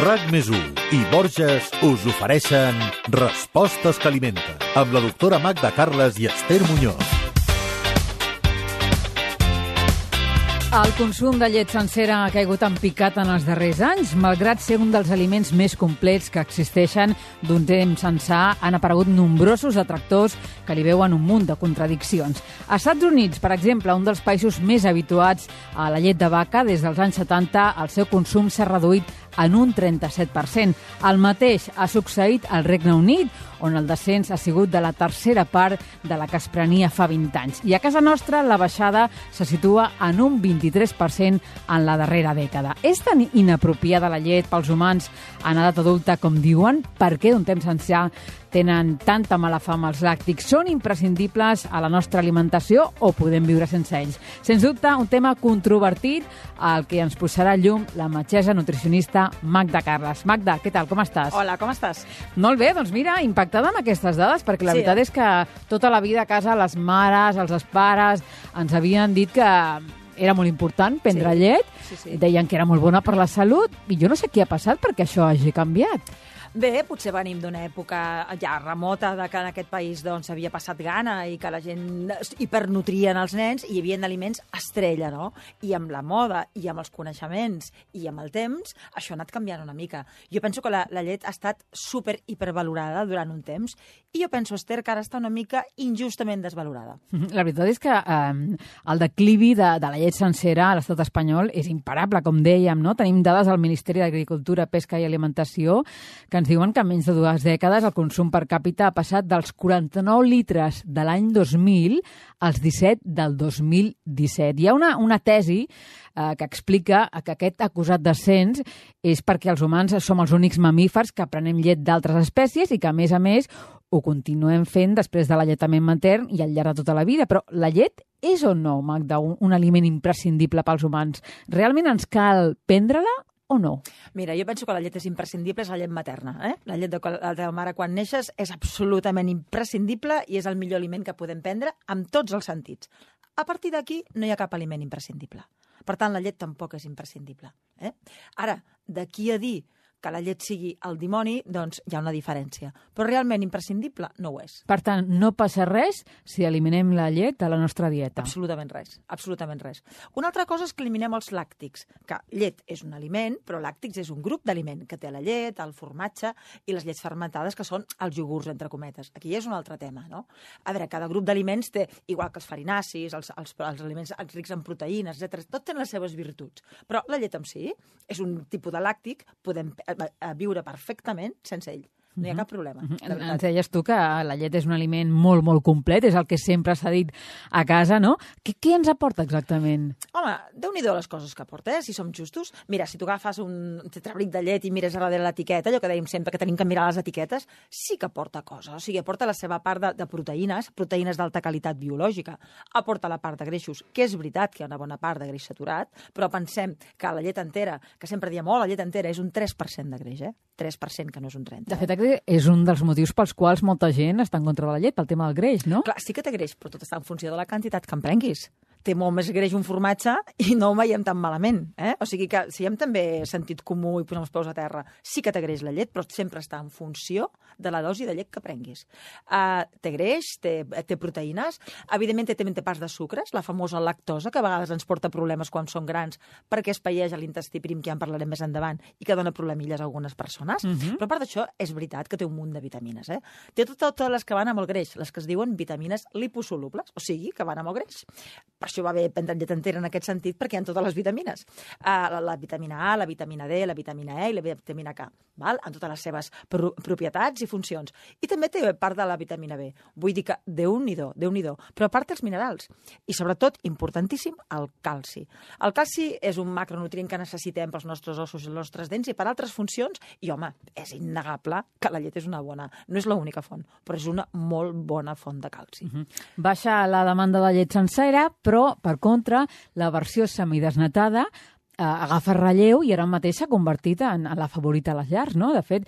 RAC+1 i Borges us ofereixen Respostes que alimenten, amb la doctora Magda Carles i Esther Muñoz. El consum de llet sencera ha caigut en picat en els darrers anys. Malgrat ser un dels aliments més complets que existeixen d'un temps ençà, han aparegut nombrosos detractors que li veuen un munt de contradiccions. A Estats Units, per exemple, un dels països més habituats a la llet de vaca, des dels anys 70 el seu consum s'ha reduït en un 37%. El mateix ha succeït al Regne Unit, on el descens ha sigut de la tercera part de la que es prenia fa 20 anys. I a casa nostra la baixada se situa en un 23% en la darrera dècada. És tan inapropiada la llet pels humans en edat adulta com diuen? Per què d'un temps ençà tenen tanta mala fama els làctics? Són imprescindibles a la nostra alimentació o podem viure sense ells? Sens dubte, un tema controvertit al que ens posarà llum la metgessa nutricionista Magda Carles. Magda, què tal? Com estàs? Hola, com estàs? Molt bé, doncs mira, impactada amb aquestes dades, perquè la veritat és que tota la vida a casa les mares, els pares ens havien dit que era molt important prendre llet, deien que era molt bona per la salut, i jo no sé què ha passat perquè això hagi canviat. Bé, potser venim d'una època ja remota de que en aquest país doncs havia passat gana i que la gent hipernutrien els nens i hi havia aliments estrella, no? I amb la moda i amb els coneixements i amb el temps, això ha anat canviant una mica. Jo penso que la llet ha estat super hipervalorada durant un temps i jo penso, Esther, que ara està una mica injustament desvalorada. La veritat és que el declivi de la llet sencera a l'estat espanyol és imparable, com dèiem, no? Tenim dades del Ministeri d'Agricultura, Pesca i Alimentació que ens diuen que en menys de 2 dècades el consum per càpita ha passat dels 49 litres de l'any 2000 als 17 del 2017. Hi ha una tesi que explica que aquest acusat descens és perquè els humans som els únics mamífers que prenem llet d'altres espècies i que, a més, ho continuem fent després de l'alletament matern i al llarg de tota la vida. Però la llet és o no, Magda, un aliment imprescindible pels humans? Realment ens cal prendre-la o no? Mira, jo penso que la llet és imprescindible, és la llet materna. La llet de la teva mare quan neixes és absolutament imprescindible i és el millor aliment que podem prendre amb tots els sentits. A partir d'aquí no hi ha cap aliment imprescindible. Per tant, la llet tampoc és imprescindible. Ara, d'aquí a dir que la llet sigui el dimoni, doncs hi ha una diferència. Però realment imprescindible no ho és. Per tant, no passa res si eliminem la llet de la nostra dieta. Absolutament res, absolutament res. Una altra cosa és que eliminem els làctics, que llet és un aliment, però làctics és un grup d'aliment que té la llet, el formatge i les llets fermentades, que són els iogurts, entre cometes. Aquí és un altre tema, no? A veure, cada grup d'aliments té, igual que els farinacis, els aliments rics en proteïnes, etc., tot tenen les seves virtuts. Però la llet en si és un tipus de làctic, podem a viure perfectament sense ell. No hi ha cap problema. Ens deies tu que la llet és un aliment molt, molt complet, és el que sempre s'ha dit a casa, no? Què ens aporta exactament? Home, Déu-n'hi-do les coses que aporta, si som justos. Mira, si tu agafes un tetrabric de llet i mires a darrere l'etiqueta, allò que dèiem sempre que tenim que mirar les etiquetes, sí que aporta coses. O sigui, aporta la seva part de proteïnes d'alta qualitat biològica. Aporta la part de greixos, que és veritat que hi ha una bona part de greix saturat, però pensem que la llet entera, que sempre diem, la llet entera és un 3% de greix, 3%, que no és un 30%. De fet, és un dels motius pels quals molta gent està en contra de la llet, pel tema del greix, no? Clar, sí que té greix, però tot està en funció de la quantitat que en prenguis. Té molt més greix un formatge i no ho veiem tan malament. O sigui que si hem també sentit comú i posem els peus a terra, sí que té greix la llet, però sempre està en funció de la dosi de llet que prenguis. Té greix, té proteïnes, evidentment també té parts de sucres, la famosa lactosa, que a vegades ens porta problemes quan són grans perquè es paella a l'intestí prim, que ja en parlarem més endavant, i que dona problemilles a algunes persones. Però a part d'això, és veritat que té un munt de vitamines. Té totes les que van amb el greix, les que es diuen vitamines liposolubles, o sigui, que van amb el greix. Per això va bé prendre llet entera en aquest sentit, perquè hi ha totes les vitamines. La vitamina A, la vitamina D, la vitamina E i la vitamina K, en totes les seves propietats i funcions. I també té part de la vitamina B. Vull dir que Déu-n'hi-do. Però a part els minerals. I sobretot, importantíssim, el calci. El calci és un macronutrient que necessitem pels nostres ossos i els nostres dents i per altres funcions. I, home, és innegable que la llet és una bona... No és l'única font, però és una molt bona font de calci. Baixa la demanda de llet sencera, però, per contra, la versió semidesnatada agafa relleu i ara mateix s'ha convertit en la favorita a les llars, no? De fet,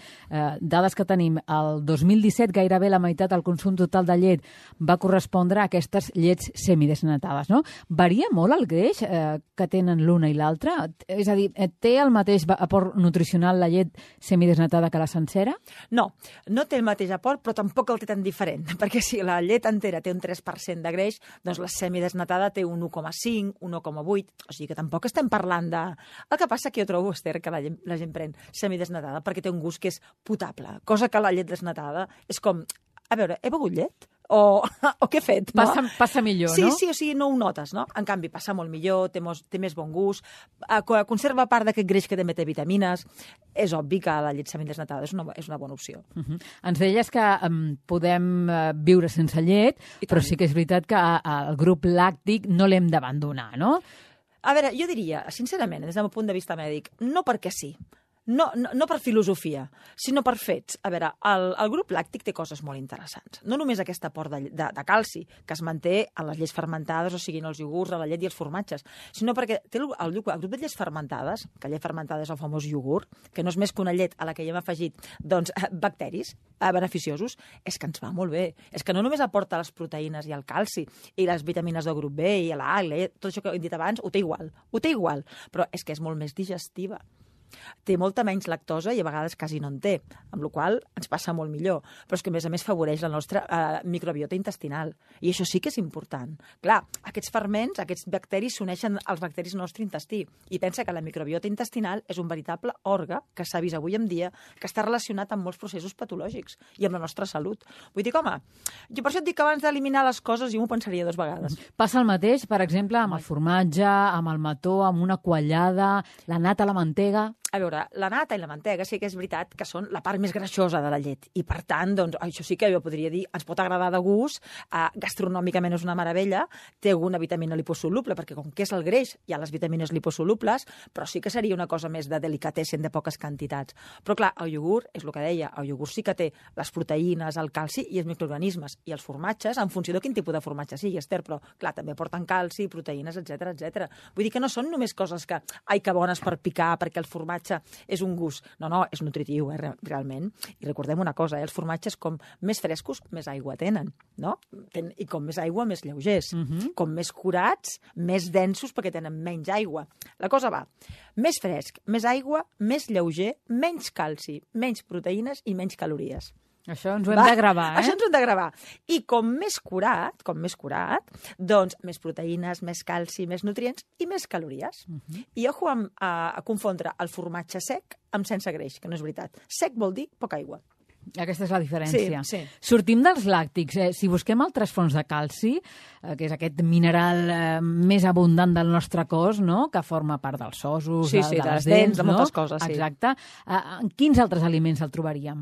dades que tenim, el 2017 gairebé la meitat del consum total de llet va correspondre a aquestes llets semidesnatades, no? Varia molt el greix que tenen l'una i l'altra? És a dir, té el mateix aport nutricional la llet semidesnatada que la sencera? No, no té el mateix aport, però tampoc el té tan diferent, perquè si la llet entera té un 3% de greix, doncs la semidesnatada té un 1,5, 1,8, o sigui que tampoc estem parlant de... El que passa que jo trobo, Esther, que la gent pren semidesnatada perquè té un gust que és potable, cosa que la llet desnatada és com, a veure, he begut llet? O què he fet? No? Passa millor, sí, no? Sí, o sigui, no ho notes, no? En canvi, passa molt millor, té més bon gust, conserva part d'aquest greix que també té vitamines. És obvi que la llet semidesnatada és una bona opció. Ens deies que podem viure sense llet, però sí que és veritat que el grup làctic no l'hem d'abandonar, no? A veure, jo diria, sincerament, des del meu punt de vista mèdic, no perquè sí. No per filosofia, sinó per fets. A veure, el grup làctic té coses molt interessants. No només aquest aport de calci, que es manté en les llets fermentades, o sigui, en els iogurts, a la llet i els formatges, sinó perquè té el grup de llets fermentades, que llet fermentada és el famós iogurt, que no és més que una llet a la que hi hem afegit bacteris beneficiosos, és que ens va molt bé. És que no només aporta les proteïnes i el calci i les vitamines del grup B i la A, tot això que he dit abans, ho té igual, però és que és molt més digestiva. Té molta menys lactosa i a vegades quasi no en té, amb la qual cosa ens passa molt millor. Però és que, a més favoreix la nostra microbiota intestinal. I això sí que és important. Clar, aquests ferments, aquests bacteris s'uneixen als bacteris del nostre intestí. I pensa que la microbiota intestinal és un veritable òrgan que s'ha vist avui en dia que està relacionat amb molts processos patològics i amb la nostra salut. Vull dir, home, jo per això et dic que abans d'eliminar les coses jo m'ho pensaria 2 vegades. Passa el mateix, per exemple, amb el formatge, amb el mató, amb una quallada, la nata, la mantega... A veure, la nata i la mantega sí que és veritat que són la part més greixosa de la llet i, per tant, doncs, això sí que jo podria dir, ens pot agradar de gust, gastronòmicament és una meravella, té alguna vitamina liposoluble, perquè com que és el greix hi ha les vitamines liposolubles, però sí que seria una cosa més de delicatessen, de poques quantitats. Però, clar, el iogurt, és el que deia, el iogurt sí que té les proteïnes, el calci i els microorganismes, i els formatges, en funció de quin tipus de formatge sigui, Esther, però, clar, també porten calci, proteïnes, etc. Vull dir que no són només coses que, ai, que bones per picar, perquè el formatge és un gust. No, és nutritiu, realment. I recordem una cosa, els formatges com més frescos, més aigua tenen, no? I com més aigua, més lleugers. Com més curats, més densos, perquè tenen menys aigua. La cosa va, més fresc, més aigua, més lleuger, menys calci, menys proteïnes i menys calories. Això ens ho hem de gravar, Això ens ho hem de gravar. I com més curat, doncs més proteïnes, més calci, més nutrients i més calories. I ojo a confondre el formatge sec amb sense greix, que no és veritat. Sec vol dir poca aigua. Aquesta és la diferència. Sí. Sortim dels làctics. Si busquem altres fonts de calci, que és aquest mineral més abundant del nostre cos, no? Que forma part dels ossos, de les dents, de moltes coses. Exacte. En quins altres aliments el trobaríem?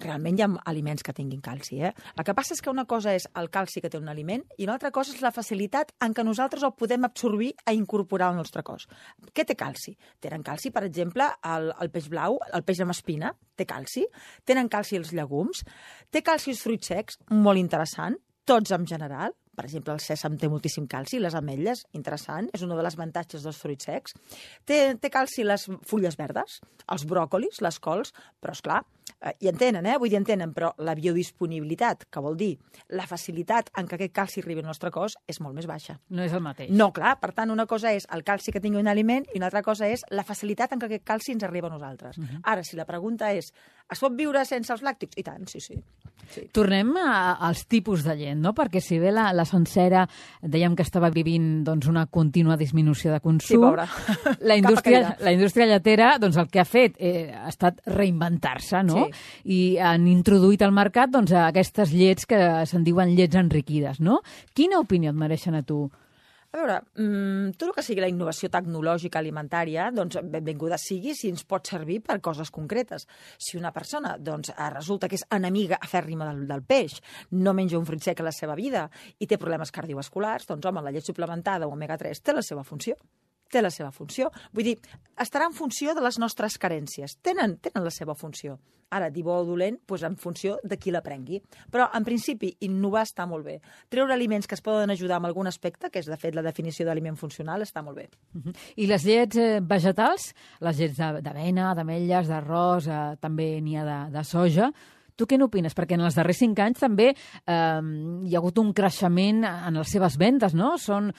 Realment hi ha aliments que tinguin calci. El que passa és que una cosa és el calci que té un aliment i una altra cosa és la facilitat en què nosaltres el podem absorbir i incorporar al nostre cos. Què té calci? Tenen calci, per exemple, el peix blau, el peix amb espina, té calci. Tenen calci els llegums. Té calci els fruits secs, molt interessant, tots en general. Per exemple, el sèsam té moltíssim calci, les ametlles, interessant, és un dels avantatges dels fruits secs. Té calci les fulles verdes, els bròcolis, les cols, però, esclar, hi entenen, vull dir, entenen, però la biodisponibilitat, que vol dir la facilitat en què aquest calci arribi al nostre cos, és molt més baixa. No és el mateix. No, clar, per tant, una cosa és el calci que tingui un aliment i una altra cosa és la facilitat en què aquest calci ens arriba a nosaltres. Ara, si la pregunta és, es pot viure sense els làctics? I tant, sí. Tornem als tipus de llet, no? Perquè si bé la sencera dèiem que estava vivint doncs, una contínua disminució de consum, sí, pobra. La indústria lletera doncs, el que ha fet ha estat reinventar-se, no? Sí. I han introduït al mercat doncs, aquestes llets que se'n diuen llets enriquides, no? Quina opinió et mereixen a tu? A veure, tot el que sigui la innovació tecnològica alimentària, doncs benvinguda sigui si ens pot servir per coses concretes. Si una persona doncs, resulta que és enemiga afèrrima del peix, no menja un fruit sec a la seva vida i té problemes cardiovasculars, doncs home, la llet suplementada o omega-3 té la seva funció. té la seva funció. Vull dir, estarà en funció de les nostres carències. Tenen la seva funció. Ara, dir bo o dolent, doncs en funció de qui la prengui. Però, en principi, innovar està molt bé. Treure aliments que es poden ajudar en algun aspecte, que és, de fet, la definició d'aliment funcional, està molt bé. I les llets vegetals, les llets d'avena, d'ametlles, d'arròs, també n'hi ha de soja. Tu què n'opines? Perquè en els darrers 5 anys també hi ha hagut un creixement en les seves vendes, no? Són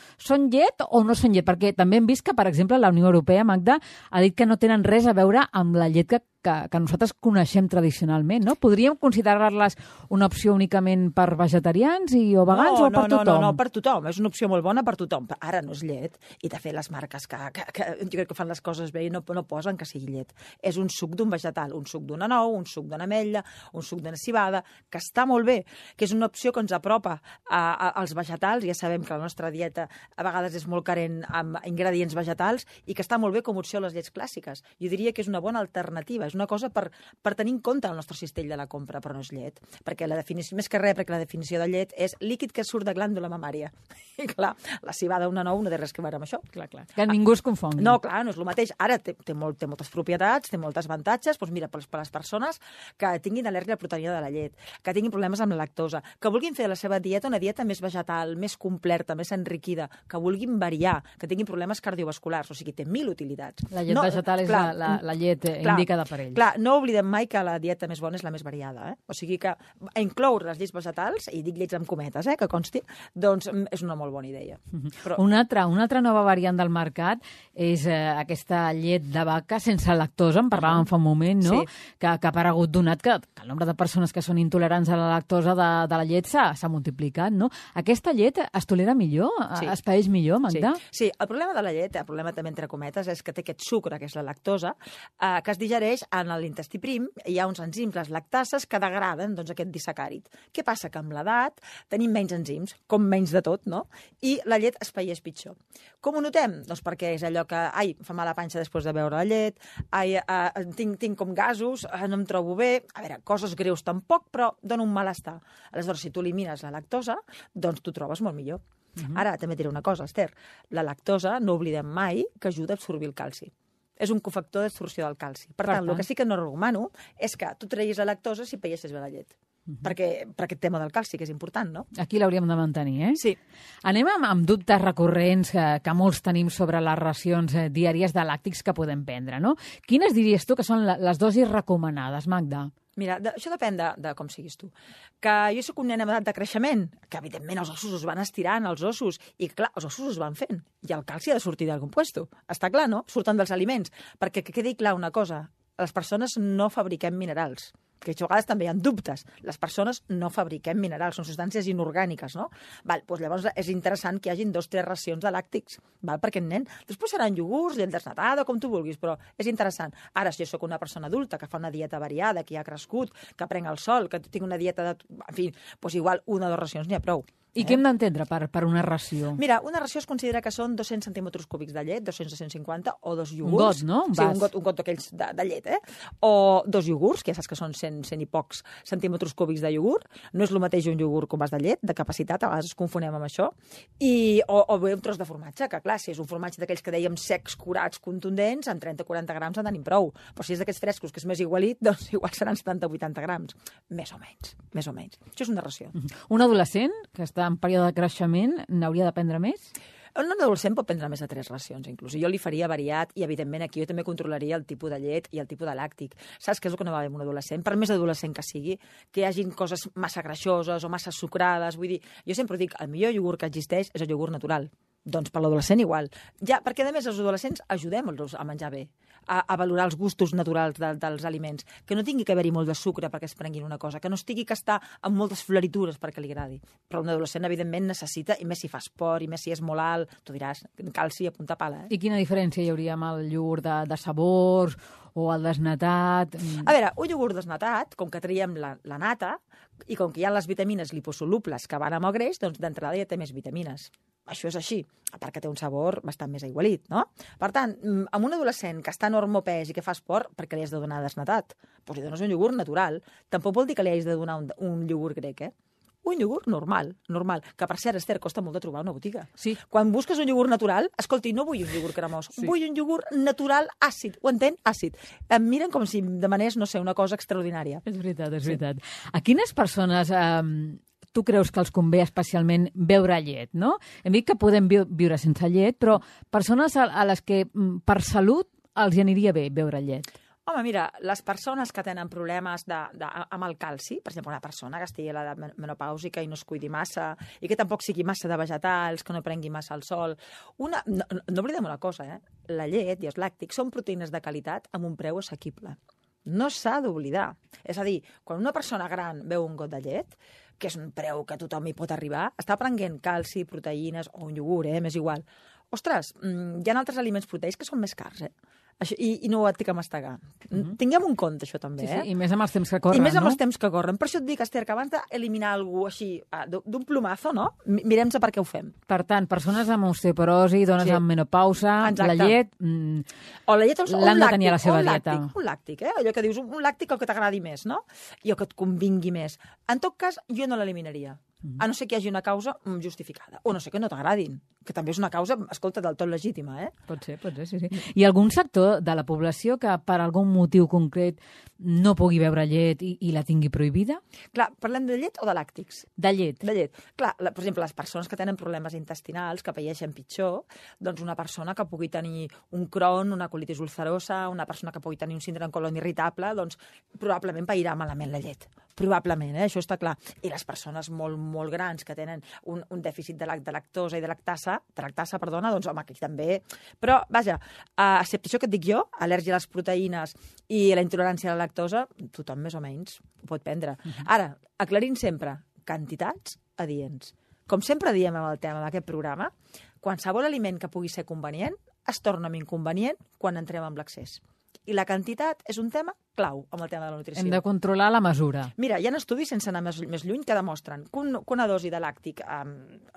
llet o no són llet? Perquè també hem vist que, per exemple, la Unió Europea, Magda, ha dit que no tenen res a veure amb la llet que nosaltres coneixem tradicionalment, no? Podríem considerar-les una opció únicament per vegetarians o vegans o per tothom? No, per tothom. És una opció molt bona per tothom. Ara no és llet. I, de fet, les marques que jo crec que fan les coses bé no posen que sigui llet. És un suc d'un vegetal, un suc d'una nou, un suc d'una ametlla, un suc d'una civada, que està molt bé, que és una opció que ens apropa als vegetals. Ja sabem que la nostra dieta a vegades és molt carent amb ingredients vegetals i que està molt bé com a opció a les llets clàssiques. Jo diria que és una bona alternativa. És una cosa per tenir en compte el nostre cistell de la compra, però no és llet. Perquè la definició, més que res, perquè la definició de llet és líquid que surt de glàndula mamària. I clar, la civada una nou no té res que veure amb això. Clar. Que ningú es confongui. No, clar, no és el mateix. Ara té moltes propietats, té moltes avantatges, doncs mira, per les persones que tinguin al·lèrgia a la proteïna de la llet, que tinguin problemes amb la lactosa, que vulguin fer de la seva dieta una dieta més vegetal, més completa, més enriquida, que vulguin variar, que tinguin problemes cardiovasculars, o sigui, té 1000 utilitats. La llet vegetal és la llet indicada per ells. Clar, no oblidem mai que la dieta més bona és la més variada. O sigui que incloure les llets vegetals, i dic llets amb cometes, que consti, doncs és una molt bona idea. Però... Una altra nova variant del mercat és aquesta llet de vaca sense lactosa, en parlàvem fa un moment, no? Sí. Que ha aparegut donat que el nombre de persones que són intolerants a la lactosa de la llet s'ha multiplicat, no? Aquesta llet es tolera millor? Sí. Es paeix millor, Magda? Sí, el problema de la llet, el problema també entre cometes, és que té aquest sucre, que és la lactosa, que es digereix en l'intestí prim. Hi ha uns enzims, les lactases, que degraden aquest disacàrid. Què passa? Que amb l'edat tenim menys enzims, com menys de tot, no? I la llet es paeix pitjor. Com ho notem? Doncs perquè és allò que, fa mal la panxa després de beure la llet, tinc com gasos, no em trobo bé, a veure, coses greus tampoc, però dona un malestar. Aleshores, si tu elimines la lactosa, doncs t'ho trobes molt millor. Ara, també diré una cosa, Esther, la lactosa, no oblidem mai que ajuda a absorbir el calci. És un cofactor d'absorció del calci. Per tant, el que sí que no recomano és que tu treguis la lactosa si paeixes bé la llet. Per aquest tema del calci, que és important, no? Aquí l'hauríem de mantenir, Sí. Anem amb dubtes recurrents que molts tenim sobre les racions diàries de làctics que podem prendre, no? Quines diries tu que són les dosis recomanades, Magda? Mira, això depèn de com siguis tu. Que jo soc un nen en edat de creixement, que evidentment els ossos es van estirant, els ossos, i clar, els ossos es van fent, i el calci ha de sortir d'algun puesto. Està clar, no? Surten dels aliments. Perquè que quedi clar una cosa, les persones no fabriquem minerals, que a vegades també hi ha dubtes. Les persones no fabriquem minerals, són substàncies inorgàniques, no? Doncs llavors és interessant que hi hagin 2 o 3 racions de làctics, per aquest nen. Després seran iogurts, llet desnatada, com tu vulguis, però és interessant. Ara, si jo sóc una persona adulta que fa una dieta variada, que ja ha crescut, que prenc el sol, que tinc una dieta en fi, doncs igual 1 o 2 racions n'hi ha prou. I què hem d'entendre per una ració? Mira, una ració es considera que són 200 centímetres cúbics de llet, 200 a 150, o 2 iogurts. Un got, no? Sí, un got d'aquells de llet, O 2 iogurts, que ja saps que són 100 i pocs centímetres cúbics de iogurt. No és el mateix un iogurt com vas de llet, de capacitat, a vegades es confonem amb això. O bé un tros de formatge, que clar, si és un formatge d'aquells que dèiem secs, curats, contundents, amb 30-40 grams en tenim prou. Però si és d'aquests frescos, que és més igualit, doncs igual seran 70-80 grams. Més o menys. Això és una ració. Un adolescent que està en període de creixement n'hauria de prendre més? Un adolescent pot prendre més de 3 racions, inclús. Jo li faria variat i, evidentment, aquí jo també controlaria el tipus de llet i el tipus de làctic. Saps què és el que no va bé amb un adolescent? Per més adolescent que sigui, que hi hagin coses massa greixoses o massa sucrades. Vull dir, jo sempre dic, el millor iogurt que existeix és el iogurt natural. Doncs per l'adolescent igual. Ja, perquè, a més, els adolescents ajudem-los a menjar bé, a valorar els gustos naturals dels aliments, que no tingui que haver-hi molt de sucre perquè es prenguin una cosa, que no estigui que està amb moltes floritures perquè li agradi. Però un adolescent, evidentment, necessita, i més si fa esport, i més si és molt alt, tu diràs, calci a punta pala. I quina diferència hi hauria amb el iogurt de sabors o el desnatat? A veure, un iogurt desnatat, com que traiem la nata, i com que hi ha les vitamines liposolubles que van amb el greix, doncs d'entrada ja té més vitamines. Això és així, a part que té un sabor bastant més aigualit, no? Per tant, amb un adolescent que està en hormopès i que fa esport, per què li has de donar desnatat? Doncs li dones un iogurt natural. Tampoc vol dir que li hagis de donar un iogurt grec, un iogurt normal, que per cert, Esther, costa molt de trobar una botiga. Sí. Quan busques un iogurt natural, escolti, no vull un iogurt cremós, vull un iogurt natural àcid, ho entén? Àcid. Em miren com si em demanés, no sé, una cosa extraordinària. És veritat. A quines persones tu creus que els convé especialment beure llet, no? Hem dit que podem viure sense llet, però persones a les que per salut els aniria bé beure llet. Home, mira, les persones que tenen problemes amb el calci, per exemple, una persona que estigui a l'edat menopàusica i no es cuidi massa, i que tampoc sigui massa de vegetals, que no prengui massa el sol... No oblidem una cosa, la llet i els làctics són proteïnes de qualitat amb un preu assequible. No s'ha d'oblidar. És a dir, quan una persona gran beu un got de llet, que és un preu que tothom hi pot arribar, està prenent calci, proteïnes o un iogurt, m'és igual. Ostres, hi ha altres aliments proteïcs que són més cars, Això, i no ho et que mastegar. Tinguem un compte, això també, Sí, i més amb els temps que corren, I més amb els temps que corren. Per això et dic, Esther, que abans d'eliminar algú així, d'un plomazo, no? Mirem-se per què ho fem. Per tant, persones amb osteoporosi, dones amb menopausa, la llet... O la llet l'han de tenir a la seva dieta. Un làctic, Allò que dius, un làctic el que t'agradi més, no? I el que et convingui més. En tot cas, jo no l'eliminaria. A no ser que hi hagi una causa justificada. O no sé que no t'agradin, que també és una causa, escolta, del tot legítima, Pot ser, sí. Hi ha algun sector de la població que per algun motiu concret no pugui beure llet i la tingui prohibida? Clar, parlem de llet o de làctics? De llet. De llet. Clar, per exemple, les persones que tenen problemes intestinals, que paeixen pitjor, doncs una persona que pugui tenir un Crohn, una colitis ulcerosa, una persona que pugui tenir un síndrome colon irritable, doncs probablement pairà malament la llet. Probablement, això està clar. I les persones molt grans que tenen un dèficit de lactosa i de lactasa, doncs home, aquí també... Però, vaja, excepte això que et dic jo, al·lèrgia a les proteïnes i la intolerància a la lactosa, tothom més o menys ho pot prendre. Ara, aclarint sempre, quantitats adients. Com sempre diem amb el tema d'aquest programa, qualsevol aliment que pugui ser convenient es torna inconvenient quan entrem amb l'excés. I la quantitat és un tema clau amb el tema de la nutrició. Hem de controlar la mesura. Mira, hi ha estudis, sense anar més lluny, que demostren que una dosi de làctic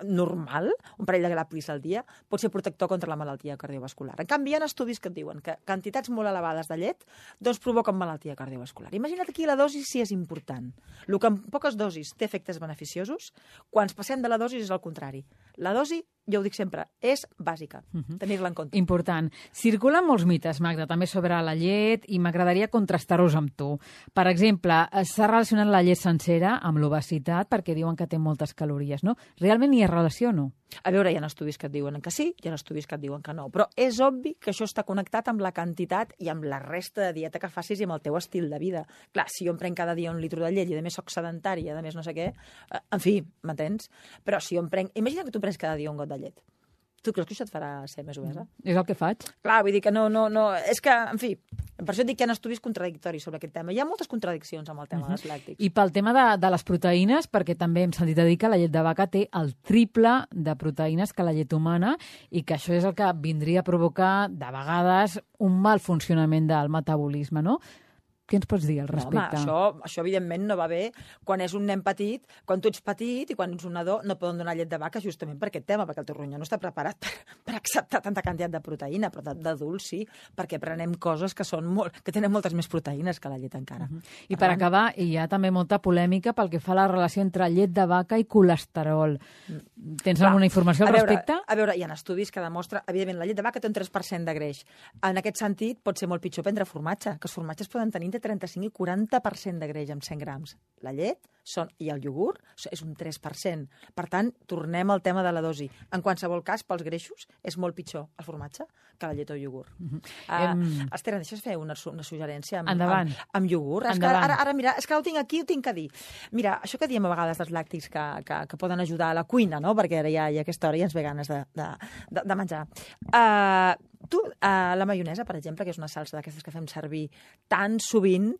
normal, un parell de grapis al dia, pot ser protector contra la malaltia cardiovascular. En canvi, hi ha estudis que et diuen que quantitats molt elevades de llet doncs provoquen malaltia cardiovascular. Imagina't aquí la dosi si és important. El que en poques dosis té efectes beneficiosos, quan ens passem de la dosi és el contrari. La dosi, jo ho dic sempre, és bàsica. Tenir-la en compte. Important. Circulen molts mites, Magda, també sobre la llet, i m'agradaria contrastar-los amb tu. Per exemple, s'ha relacionat la llet sencera amb l'obesitat perquè diuen que té moltes calories, no? Realment hi ha relació o no? A veure, hi ha estudis que et diuen que sí, hi ha estudis que et diuen que no, però és obvi que això està connectat amb la quantitat i amb la resta de dieta que facis i amb el teu estil de vida. Clar, si jo em prenc cada dia un litro de llet i a més soc sedentari, a més no sé què, en fi, m'entens? Però si jo em prenc... Imagina que tu prens cada dia un got de llet. Tu creus que això et farà ser més obesa? És el que faig. Clar, vull dir que no... És que, en fi, per això et dic que hi ha estudis contradictoris sobre aquest tema. Hi ha moltes contradiccions amb el tema dels làctics. I pel tema de les proteïnes, perquè també hem sentit a dir que la llet de vaca té el triple de proteïnes que la llet humana i que això és el que vindria a provocar, de vegades, un mal funcionament del metabolisme, no? Què ens pots dir al respecte? No, home, això evidentment no va bé quan és un nen petit, quan tu ets petit i quan ets un nadó no poden donar llet de vaca justament per aquest tema, perquè el teu ronyó no està preparat per acceptar tanta quantitat de proteïna, però d'adults sí, perquè prenem coses que tenen moltes més proteïnes que la llet encara. I per acabar, hi ha també molta polèmica pel que fa a la relació entre llet de vaca i colesterol. Tens alguna informació al respecte? A veure, hi ha estudis que demostren, evidentment, la llet de vaca té un 3% de greix. En aquest sentit, pot ser molt pitjor prendre formatge, que els formatges poden tenir entre 35 i 40% de greix amb 100 grams. La llet i el iogurt és un 3%. Per tant, tornem al tema de la dosi. En qualsevol cas, pels greixos, és molt pitjor el formatge que la llet o el iogurt. Esther, em deixes fer una suggerència amb iogurt? Ara, mira, és que ho tinc aquí, ho tinc que dir. Mira, això que diem a vegades dels làctics que poden ajudar a la cuina, no? Perquè ara ja a aquesta hora ja ens ve ganes de menjar. La maionesa, per exemple, que és una salsa d'aquestes que fem servir tan sovint,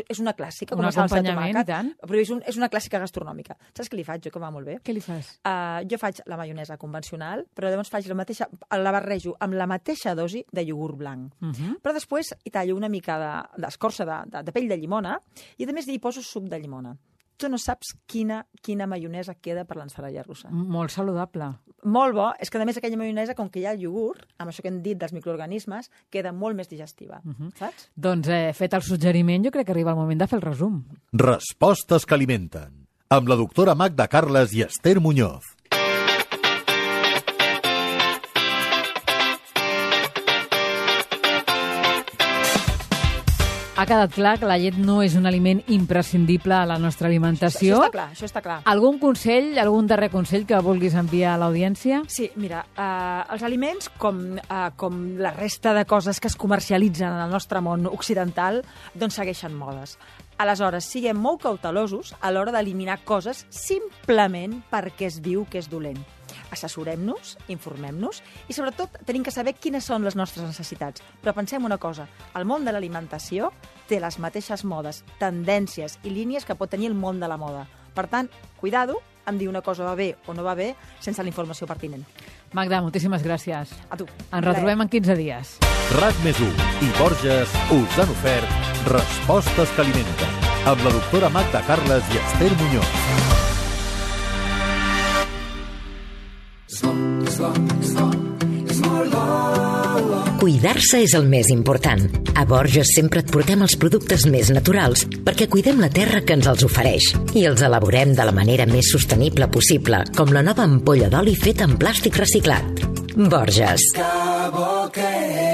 és una clàssica, com a salsa de tomàquet, però és una clàssica gastronòmica. Saps què li faig jo, que va molt bé? Què li fas? Jo faig la maionesa convencional, però llavors la barrejo amb la mateixa dosi de iogurt blanc. Però després hi tallo una mica d'escorça de pell de llimona i a més hi poso suc de llimona. Tu no saps quina maionesa queda per l'ensalada russa. Molt saludable. Molt bo. És que, a més, aquella maionesa, com que hi ha el iogurt, amb això que hem dit dels microorganismes, queda molt més digestiva. Saps? Doncs, fet el suggeriment, jo crec que arriba el moment de fer el resum. Respostes que alimenten. amb la doctora Magda Carles i Esther Muñoz. Ha quedat clar que la llet no és un aliment imprescindible a la nostra alimentació. Això està clar. Algun consell, algun darrer consell que vulguis enviar a l'audiència? Sí, mira, els aliments, com la resta de coses que es comercialitzen en el nostre món occidental, doncs segueixen modes. Aleshores, siguem molt cautelosos a l'hora d'eliminar coses simplement perquè es diu que és dolent. Assessorem-nos, informem-nos i, sobretot, tenim que saber quines són les nostres necessitats. Però pensem una cosa, el món de l'alimentació té les mateixes modes, tendències i línies que pot tenir el món de la moda. Per tant, cuidado en dir una cosa va bé o no va bé sense la informació pertinent. Magda, moltíssimes gràcies. A tu. Ens retrobem en 15 dies. RAC+1 i Borges us han ofert Respostes que alimenten, amb la doctora Magda Carles i Esther Muñoz. Cuidar-se és el més important. A Borges sempre et portem els productes més naturals perquè cuidem la terra que ens els ofereix i els elaborem de la manera més sostenible possible, com la nova ampolla d'oli feta en plàstic reciclat. Borges. Que bo que és.